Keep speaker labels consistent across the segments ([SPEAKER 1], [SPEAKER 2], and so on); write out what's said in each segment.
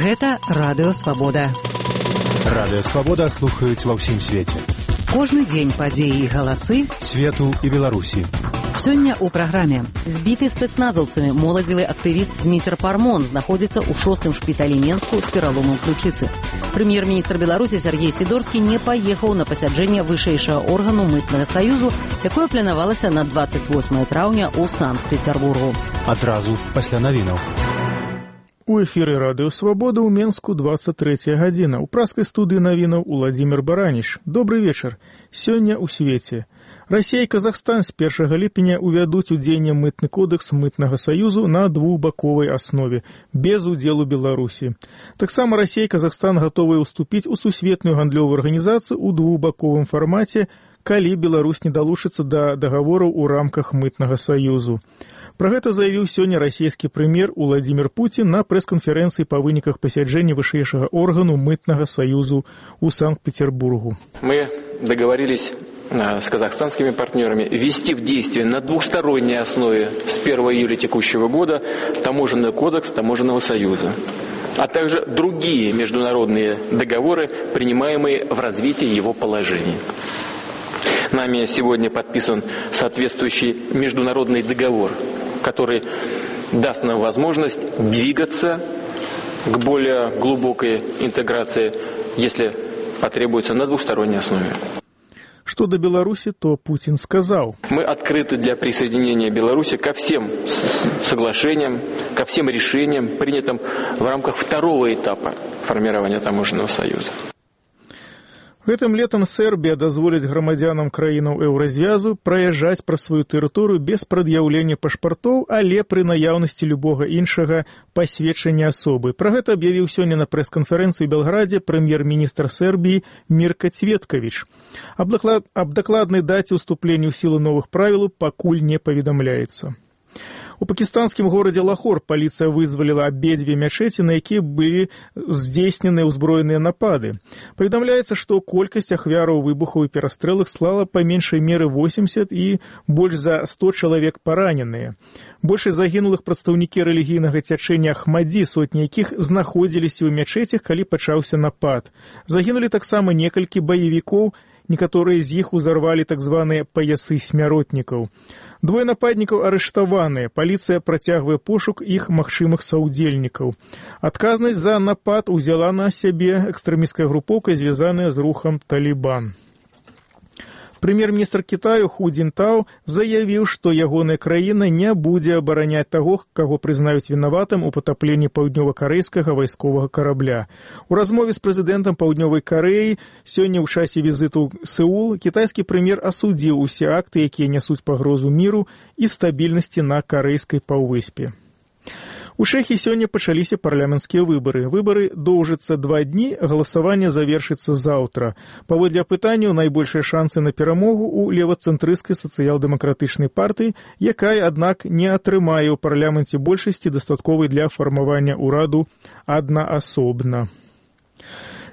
[SPEAKER 1] Гэта Радыё Свабода.
[SPEAKER 2] Радыё Свабода слухаюць ва ўсім свеце.
[SPEAKER 1] Кожны дзень падзеі і галасы
[SPEAKER 2] свету і Беларусі.
[SPEAKER 1] Сёння ў праграме. Збіты спецназаўцамі моладзевы актывіст Зміцер Пармон знаходзіцца ў 6-м шпіталі Менску з пераломам ключыцы. Прэм'ер-міністр Беларусі Сергей Сідорскі не паехаў на пасяджэнне вышэйшага органу мытнага саюзу, якое планавалася на 28 траўня ў Санкт-Пецярбургу.
[SPEAKER 2] Адразу пасля навінаў.
[SPEAKER 3] У эфіры Радыё Свабода ў Менску 23 гадзіна. У праскай студыі навінаў Уладзімір Бараніч. Добры вечар. Сёння ў свеце. Расія і Казахстан з 1 ліпеня увядуць у дзеянне мытны кодекс мытнага саюзу на двухбаковай аснове, без удзелу Беларусі. Таксама Расія і Казахстан гатовыя ўступіць у сусветную гандлёвую арганізацыю ў двухбаковым фармаце, калі Беларусь не далучыцца да дагавораў у рамках мытнага саюзу. Пра гэта заявіў сёння расійскі прэм'ер Уладзімір Пуцін на прэс-канферэнцыі па выніках пасяджэння вышэйшага органу мытнага саюзу ў Санкт-Петербургу.
[SPEAKER 4] Мы договорились с казахстанскими партнерами ввести в действие на двухсторонней основе с 1 июля текущего года таможенный кодекс Таможенного союза, а также другие международные договоры, принимаемые в развитии его положений. Нами сегодня подписан соответствующий международный договор, который даст нам возможность двигаться к более глубокой интеграции, если потребуется, на двухсторонней основе.
[SPEAKER 3] Что до Беларуси, то Путин сказал:
[SPEAKER 4] мы открыты для присоединения Беларуси ко всем соглашениям, ко всем решениям, принятым в рамках второго этапа формирования таможенного союза.
[SPEAKER 3] Гэтым летам Сербія дазволіць грамадзянам краінаў еўразвязу праязджаць праз сваю тэрыторыю без прад'яўлення пашпартоў, але пры наяўнасці любога іншага пасведчання асобы. Пра гэта аб'явіў сёння на прэс-канферэнцыі ў Белграде прэм'ер-міністр Сербіі Мірка Цветкавіч. Аб дакладнай даце ўступлення ў сілу новых правілаў пакуль не паведамляецца. У пакістанскім горадзе Лахор паліцыя вызваліла абедзве мячэці, на якія былі здзейснены ўзброеныя напады. Паведамляецца, што колькасць ахвяраў выбухаў і перастрэлак склала па меншай меры 80 і больш за 100 чалавек параненыя. Большасць загінулых прадстаўнікі рэлігійнага цячэння Ахмадзі, сотні якіх знаходзіліся ў мячэцях, калі пачаўся напад. Загінулі таксама некалькі баевікоў, некаторыя з іх узарвалі так званыя паясы смяротнікаў. Двое нападнікаў арыштаваныя. Паліцыя працягвае пошук іх магчымых саўдзельнікаў. Адказнасць за напад узяла на сябе экстрэмісцкая групоўка, звязаная з рухам Талібан. Прэм'ер-міністр Кітаю Ху Дзінтао заявіў, што ягоная краіна не будзе абараняць таго, каго прызнаюць вінаватым у патапленні паўднёва-карэйскага вайсковага карабля. У размове з прэзідэнтам Паўднёвай Карэі сёння ў часе візіту ў Сеул кітайскі прэм'ер асудзіў усе акты, якія нясуць пагрозу міру і стабільнасці на карэйскай паўвыспе. У Чэхіі сёння пачаліся парламенцкія выбары. Выбары доўжацца 2 дні, галасаванне завершыцца заўтра. Паводле апытанняў найбольшыя шансы на перамогу ў левацэнтрысцкай сацыял-дэмакратычнай партыі, якая, аднак, не атрымае ў парламенце большасці дастатковай для фармавання ўраду аднаасобна.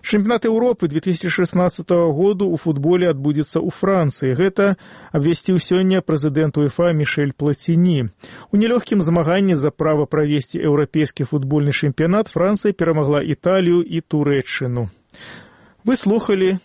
[SPEAKER 3] Чэмпіянат Еўропы 2016 году ў футболе адбудзецца ў Францыі. Гэта абвясціў сёння прэзідэнт УЕФА Мішэль Плаціні. У нелёгкім змаганні за права правесці еўрапейскі футбольны чэмпіянат Францыя перамагла Італію і Турэччыну. Вы слухалі